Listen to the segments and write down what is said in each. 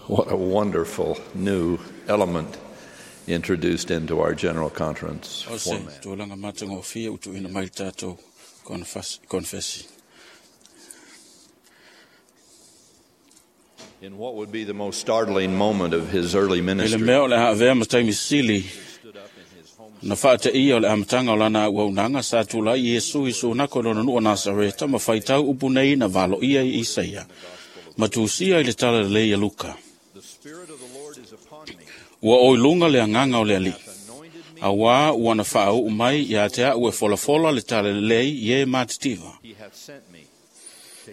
What a wonderful new element introduced into our General Conference O se format. tulaga matagofie ua tuuina mai le tatou konfesi. In what would be the most startling moment of his early I le ministry, mea o le a avea ma taimi sili stood up in his home na faateia o le amataga o lana auaunaga sa tulai Iesu i sunako i lona nuu o Nasareta ma faitau upu nei na valoia i Isaia ma tusia i le tala lelei a Luka. The Spirit of the Lord is upon me, Ua oi luga le agaga o le Alii, anointed me. auā ua na faauu mai ia te au e folafola le tala lelei i e matitiva. He hath sent me.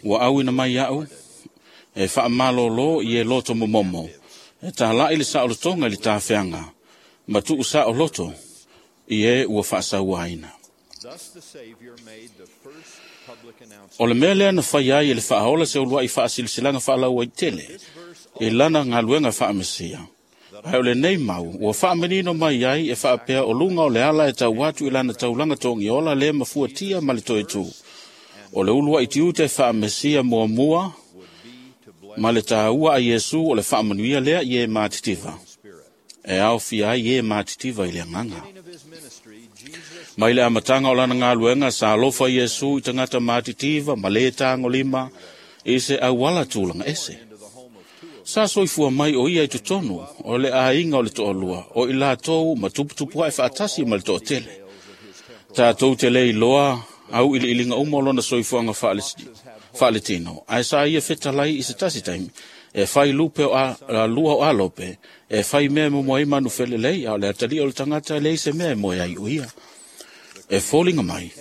Ua auina mai au e faamalōlō i e loto momomo, e tāla'i le saolotoga i le tafeaga, ma tuu saoloto i e ua faasauaina. Thus the Savior made the first public announcement. O le mea lea na fai ai e le faaola se uluai faasilasilaga faalauaitele i lana galuega faamesia. Ae o lenei mau ua faamanino mai ai e faapea o luga o le ala e tau atu i lana taulaga togiola le mafuatia ma le toetū. O le uluai tiute faamesia muamua Would be to bless ma le tāua a Iesu o le faamanuia lea i e matitiva. Spirit. E aofia ai e matitiva i le agaga. Beginning of his ministry, Jesus Mai le amataga o lana galuega sa alofa Iesu i tagata matitiva ma lē tagolima i se auala tulaga ese. into the home of two of Sa soifua mai o ia i totonu o le aiga o le toalua o i latou ma tuputupuae faatasi ma le toatele. tales of his temporal Tatou te le iloa au iliiliga uma o lona soifuaga faaletino, ae sa ia fetalai i se tasi taimi, e fai lupe o lua o alope, e fai mea e momoe ai manufelelei, a o le atalia o le tagata e leai se mea e moe ai o ia. E foliga mai,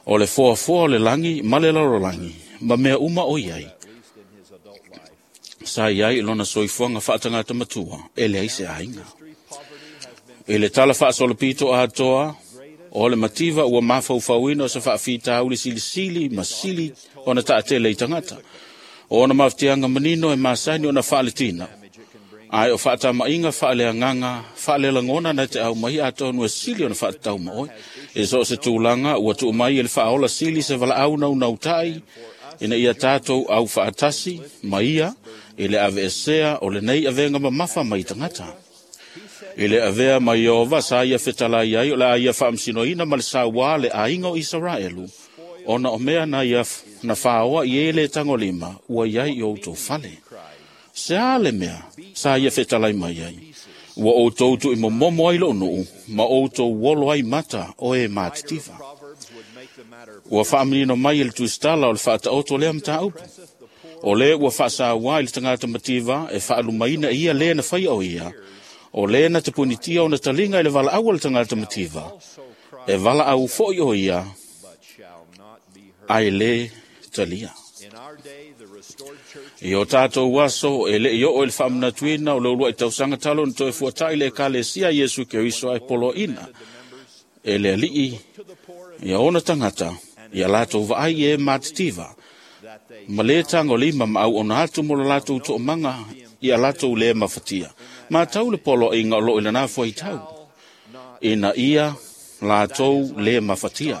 o le foafoa o le lagi ma le lalolagi, ma mea uma o iai, at least in his adult life. sa iai i lona soifuaga faatagata matua, e leai se aiga. History, poverty has been I le tala faasolopito atoa, o le mativa ua mafaufauina o se faafitauli silisili ma sili ona taatele i tagata. O ona mafatiaga manino e masani ona faaletina. damage it can bring Ae o faatama'iga faaleagaga faalelagona na te au mai atonu e sili ona faatatau ma oe. E so o se tulaga ua tuu mai e le faaola sili se valaau naunautai ina ia tatou au faatasi ma ia i le aveesea o lenei avega mamafa mai tagata. I le avea mai Iova sa ia fetalai ai o le a ia faamasinoina ma le sauā le aiga o Isaraelu, ona o mea na ia na fāoa i e le tagolima ua iai i outou fale. Se a le mea sa ia fetalai mai ai. Ua outou tuuimomomo ai lou nuu ma outou olo ai mata o e matitiva. Proverbs would make the matter Ua faamanino mai e le tusitala o le faataoto lea mataupu. presseth the poor O le ua faasauā i le tagata mativa e faalumaina e ia lē na faia o ia. O lē na te punitia ona taliga i le valaau a le tagata mativa. also cry E valaau foi o ia but shall not be heard. ae lē talia. In our day, the restored church I o tātou aso e lei oo i le faamanatuina o le uluai tausaga talo na toe fuata'i le ekalesia Iesu Keriso ae poloaina the members e le alii to the poor ia ona tagata ia latou vaai i e matitiva that they ma lē tagolima ma auauna atu mo le latou toomaga ia latou lē mafatia. Matau le poloaiga o loo i lana fuaitau not ina ia latou lē mafatia.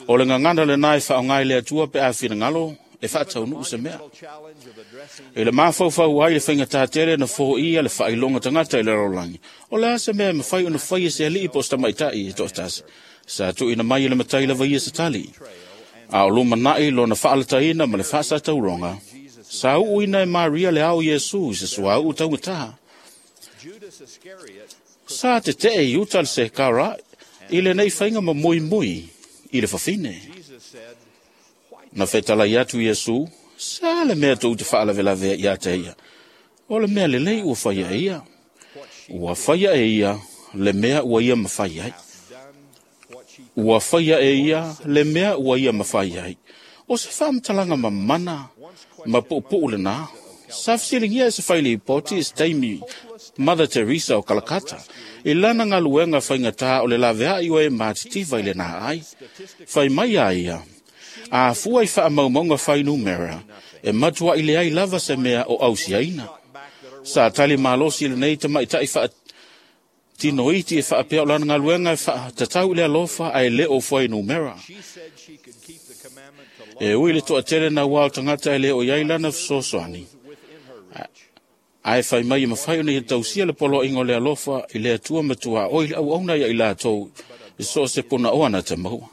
O le gagana lenā e faaaoga i le Atua pe a finagalo e faataunuu se mea. monumental challenge of addressing I le mafaufau ai le faigatā tele na foia le faailoga tagata i le lalolagi. O le a se mea e mafai ona faia se alii po o se tamaita'i e toatasi. Sa tuuina mai e le matai lava ia se tali. A o lumana'i lona faalataina ma le faasatauroga, sa uuina e Maria le ao Iesu i se suauu taugatā. Judas Iscariot Sa tetee i uta le sekara i lenei faiga ma muimui i le fafine. Jesus said, Why Na fetalai atu Iesu, sa le mea tou te faalavelavea ia te ia. O le mea lelei ua faia e ia. what she Ua faia e ia le mea ua ia mafai ai. hath done what she Ua faia e ia le mea ua ia mafai ai. O se faamatalaga mamana ma puupuu lenā. Sa fesiligia e se failipoti i se taimi Mother Teresa o Kalakata i lana galuega faigatā o le laveai o e matitiva i lenā ai. Fai mai a ia, a fua i faamaumauga fainumera, e matuai leai lava se mea o ausiaina. back that are Sa tali malosi lenei tamaita'i faatinoiti e faapea o lana galuega e faatatau i le alofa ae le o fuainumera. She said she could keep the commandment to love E ui le toatele na ua o tagata e le o iai lana fesoasoani. within her reach. Ae fai mai e mafai ona ia tausia le poloaiga o le alofa i le Atua ma tuaoi le auauna ia i latou i so o se punaoa na te maua.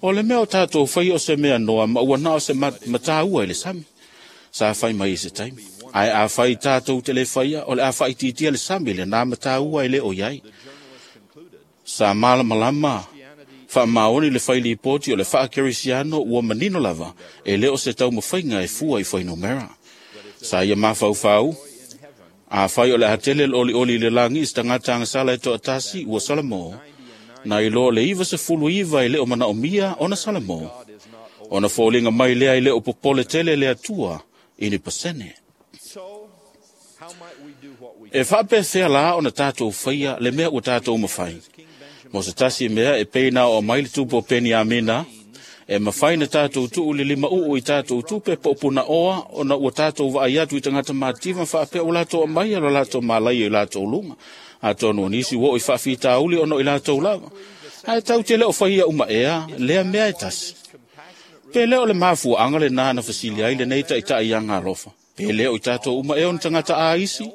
O le mea o tātou whai o se mea noa ma ua nao se mataua i le sami. Sa fai mai i se taimi. Ae a fai tātou te le whaia, o le a whai titia le sami le nā mataua i le o iai. Sa malamalama whaamaoni le whai lipoti o le whaakerisiano ua manino lava e le o se taumawhainga e fua i whainumera. Sa ia mawhauwhau, a whai o le hatele le oli oli le langi i tangata sala e toatasi ua Salamo, na ilo le 99 e le o manaomia ona Salamo. Ona fōlinga mai lea i le o popole tele le atua i ni pasene. E whaapethea la ona tātou whaia le mea ua tātou mawhai. Mo se tasi mea e peina o mai le tupo peni amina, e mawhai na tātou tuu le lima uu i tātou tupe po puna oa ona ua tātou vaai atu i tangata mātiva whaapea o lātou amai o lātou malai i lātou lunga. A tonu nisi wo i whaafitauli ono i lātou lava. Ae tau te leo whaia uma ea, lea mea e tasi. Pe leo le mafua anga le nāna fasili ai le nei taitai anga alofa. Pe leo i tātou uma ea on tangata a isi.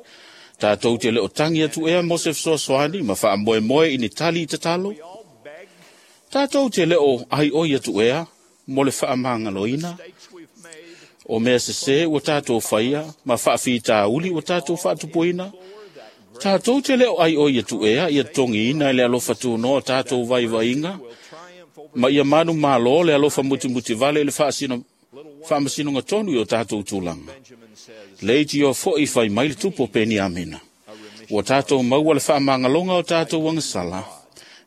Tātou te leo tangi atu ea mo se fesoasoani ma whaamoe moe i ni tali i te talo. Tātou te leo ai oi atu ea mo le whaamangaloina. O mea sese ua tātou whaia ma whaafitauli ua tātou whaatupuina. Tātou te leo ai oi atu ea ia tongi ina le alofa tūnoa tātou vaivainga. Ma ia manu malo le alofa muti vale le whaamasino tonu i o tātou tūlanga. Leiti o fo i whai mai le tupo peni amina. Ua tātou maua le whaamangalonga o tātou wangasala.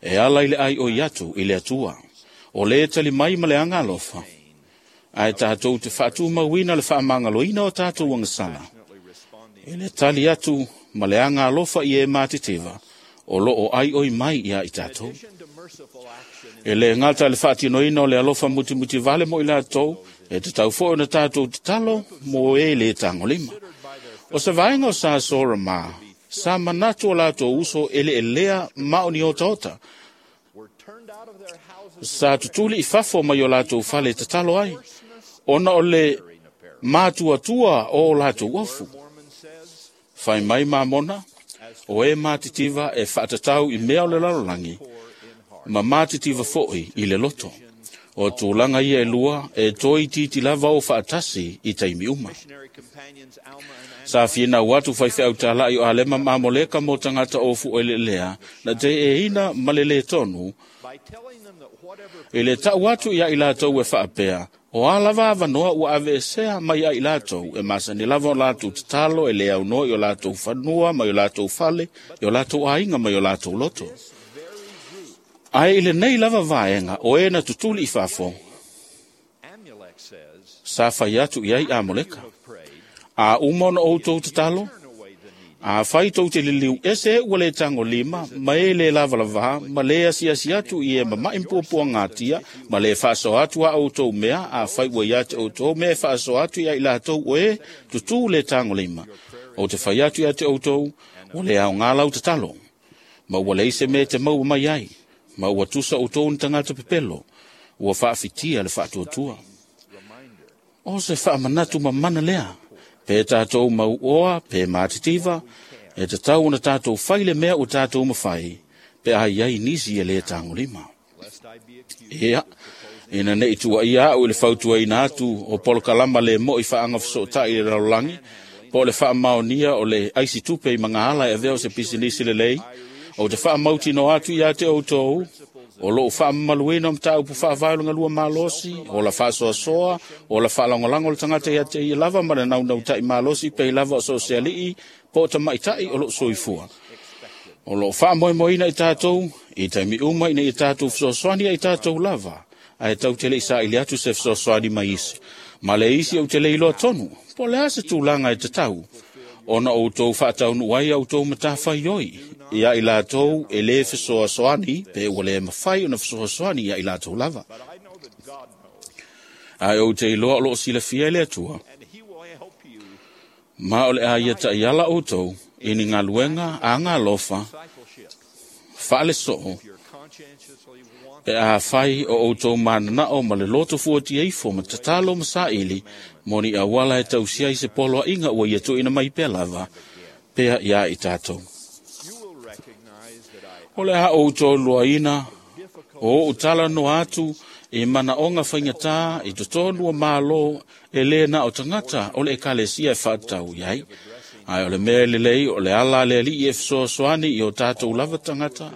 E ala i le ai oi atu i le atua. O le tali mai ma le anga alofa. Ae tātou te whaatu mauina le whaamangaloina o tātou wangasala. E le tali atu ma le anga alofa i e māteteva. O lo o ai oi mai ia i tātou. E le ngata le whaatinoina o le alofa muti vale mo i lātou, e te tau fo na tātou te talo mo e le tangolima. O se vaenga o sa sora mā, sa manatu o lātou uso ele elea mao ni ota ota. Sa tutuli i fafo mai o lātou fale te talo ai, ona o le mātua tua o lātou ofu. Whai mai mamona, o e mātitiva e whaatatau i mea o le lalolangi, ma mātitiva foi i le loto. O tūlanga ia e lua e toi titi lava o whaatasi i taimi uma. Sa whina watu whai whiau tālai o alema maamoleka mō tangata o fu ele lea, na te e ina malele tonu, i le tau atu ia i lātou e whaapea, o alava avanoa ua ave esea mai ai lātou, e masani lava o lātou tatalo, e le au noa i o lātou whanua, mai o lātou fale, i o lātou ainga, mai o lātou loto. Ae i le nei lava vaenga, o e na tutuli i fafo, sa whai atu i ai Amoleka. A uma ona outou tatalo, a whai tou te liliu ese ua le tango lima, ma e le lava lava, ma le asiasi atu i e mamai mpuapua ngatia, ma le whaaso atu a outou mea, a whai ua ia te outou mea e whaaso atu i ai lātou o e tutu le tango lima. O te whai atu i a te outou, o le au ngā lau tatalo, ma ua leise me te maua mai ai, ma ua tusa outou ni tangata pepelo, ua whaafitia le whaatuatua. O se whaamanatu mamana lea, pe tātou mau oa, pe mātitiva, e te tau ona tātou whai le mea o tātou mawhai, pe ai ai nisi e le tangolima. Ea, ina nei tua ia au i le fautua ina atu o polokalama le mo i whaanga whasotai i le raulangi, po le whaamaonia o le aisi tupe i mangahala e aveo se pisinisi le lei, o te whaamauti no atu ia te outou, o loo whaamamaluina o mtaupu whaavailunga lua malosi, o la whaasoasoa, o la whaalangolango le tangata ia te ia lava ma le naunau tai malosi pei lava o sosialii, po o tamaitai o loo soifua. O loo whaamoemoeina i tātou, i taimi uma ina i tātou fesoasoani i tātou lava, ae tau te le isa i le atu se fesoasoani mai isi. Ma le isi au te le iloa tonu, po le ase tūlanga e te tau, ona outou whaataunu ai outou matawhai oi, ia i lātou e le fesoasoani, pe ua le mawhai ona fesoasoani ia i lātou lava. Ae o te iloa o loo silafia i le atua, ma o le a ia ta'iala outou, i ni ngā luenga a ngā lofa, whaale soo, pe a whai o outou mananao ma le loto fuatia ifo ma tatalo ma saili, mo ni awala e tausia i se polo a inga ua ia tuina mai pea lava, pea ia i tātou. O le a outou luaina, o utala no atu i mana onga whaingatā i totonu o malo e le na o tangata o le ekalesia e whaatau iai. Ai o le mea lelei o le ala le ali e fesoasoani i o tātou lava tangata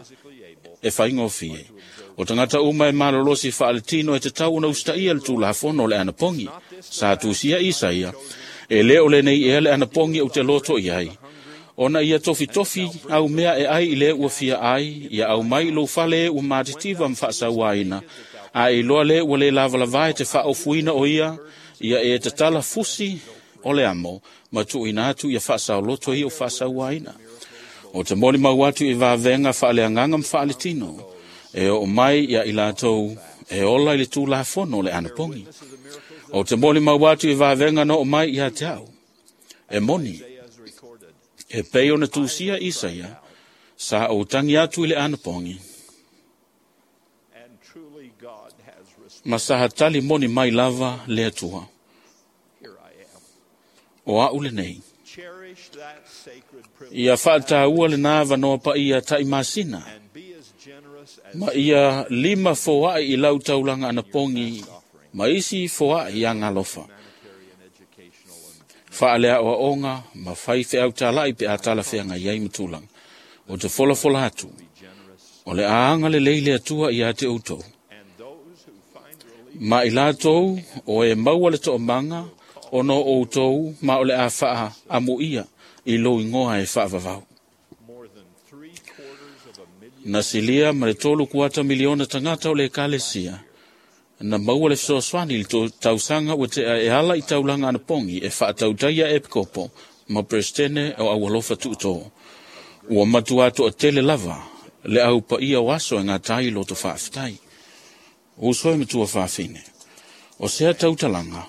e whaingofie. O tangata uma e malolosi whaaletino e te tau na ustaia le tūlafono o le anapongi. Sa tusia Isaia, e le o le nei ea le anapongi o te loto iai. Ona ia tofi tofi au mea e ai i le ua fia ai, ia au mai lo fale ua matitiva mwhaasawaina. A i loa le ua le lavalavai te whaofuina o ia, ia e tatala fusi o le amo, ma tuuina atu ia whaasaoloto i o whaasawaina. O te moli mau atu i vavenga whaaleanganga mwhaaletino, e o mai ia i lātou e ola i le tūlafono le anapongi. O te moli mau atu i vavenga no o mai ia te au, e moni, e pei ona tūsia Isaia, sa o tangi atu i le anapongi. Ma sa hatali moni mai lava le atua. O au le nei. Ia whaataua le nā wanoa pa ia tai masina. Ma ia lima foai i lau taulanga anapongi, ma isi foai ia ngalofa. Whaalea o onga, ma whai wheau talai pe atala wheanga iai matulang. O te fola fola atu. O le aanga le leile atua i ate outou. Ma i lātou o e maua le to'omanga, o no outou ma o le a whaa amu ia i lo ingoa e whaavavau. Na silia ma le 3.25 miliona tangata o le ekalesia, na maua le fesoasoani i le tausanga ua tea e ala i taulaga anapogi e faatautaia epikopo ma peresetene o aualofa tuutō. Ua matua toatele lava le aupaia o aso e gatai i loto faafetai. Uso e matua faafine, o sea tautalaga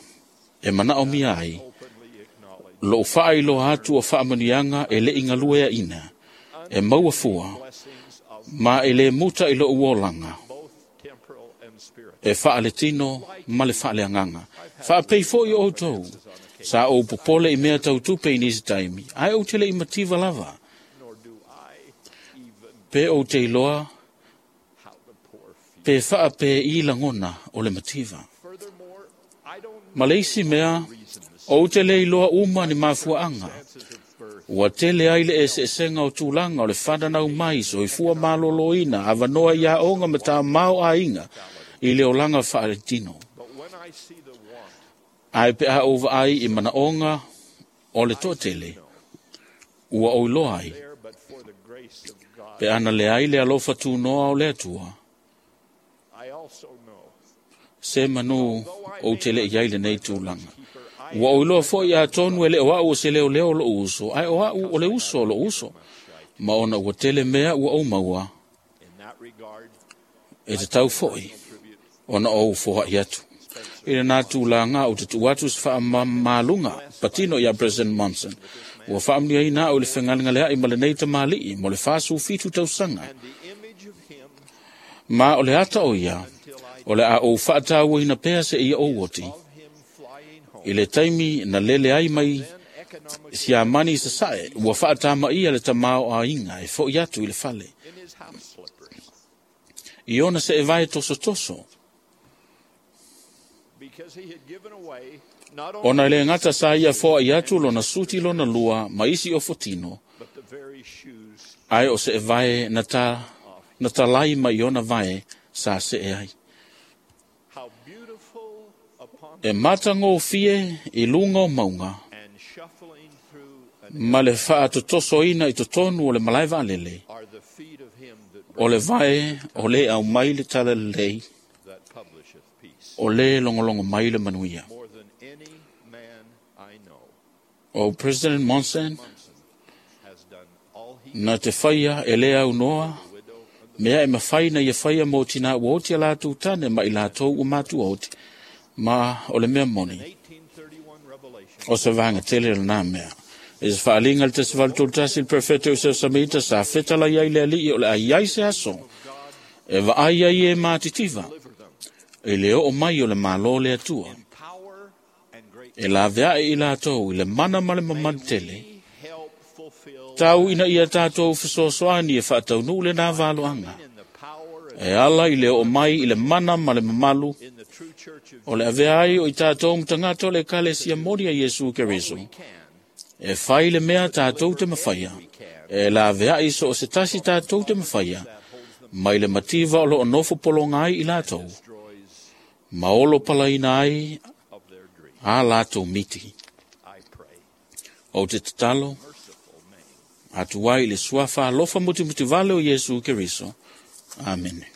e manaomia ai lou faailoa atu o faamanuiaga e leʻi galueaʻina e maua fua ma e lē muta i lou olaga e faaletino ma le faaleagaga. Faapei foʻi o outou, sa ou popole i mea tautupe i nisi taimi, ae ou te leʻi mativa lava. Pe ou te iloa, pe faape i lagona o le mativa. Ma le isi mea, ou te le iloa uma ni mafuaanga. Ua tele ai le eseesega o tulaga o le fananau mai soifua malōlōina avanoa ia oga ma tamao aiga i le olaga faaletino. Ae pe a ou vaai i manaoga o le toatele, ua ou iloa ai, pe ana leai le alofa tunoa o le Atua, se manu ou te leʻi ai lenei tulaga. Ua ou iloa foʻi atonu e le o au o se leoleo o lou uso, ae o au o le uso o lou uso, ma ona ua tele mea ua ou maua, e tatau foʻi ona ou foaʻi atu. I lenā tulaga ou te tuu atu se faamamaluga patino iā President Monson. Ua faamanuiaina au i le fegalegaleaʻi ma lenei tamalii mo le 47 tausaga. Ma o le ata o ia, o le a ou faatauaina pea se ia ou oti. I le taimi na lele ai mai siamani sasae, ua faatamaia le tamao aiga e foʻi atu i le fale. I ona se e vae tosotoso. Ona le gata sa ia foai atu lona suti lona lua ma isi o fotino, ae o se e vae na talai mai ona vae sa se e ai. E matagofie i luga o mauga, ma le faatotosoina i totonu o le malae vaalele, o le vae o le aumai le talalelei, o le logologo mai le manuia. O President Monson, na te faia e le aunoa, mea e mafai na ia faia mo tina ua oti a latou tane ma i latou ua matua oti, ma o le mea moni, o se vaga tele lenā mea. E se faaliga le 1831 le prefete o Seusamita sa fetala iai le alii o le aiai se aso, e vaai ai e matitiva, e le oo mai o le malo le Atua. E laveaʻi i latou i le mana ma le mamanu tele, fulfill Tau ina ia tātou fesoasoani e faataunuu lenā valoaga in the power and e ala i le oo mai i le mana ma le mamalu in the true church of o le avea ai o i tātou matagata o le ekalesia moni a Iesu Keriso can e fai le mea tātou te mafaia e laveai so o se tasi tātou te mafaia mai le mativa o loo nofo pologa ai i latou destroys ma olo palaina ai of their dream. a latou miti. I pray. Ou te tatalo Merciful name. atu ai i le suafa alofa mutimutivale o Iesu Keriso. Amene.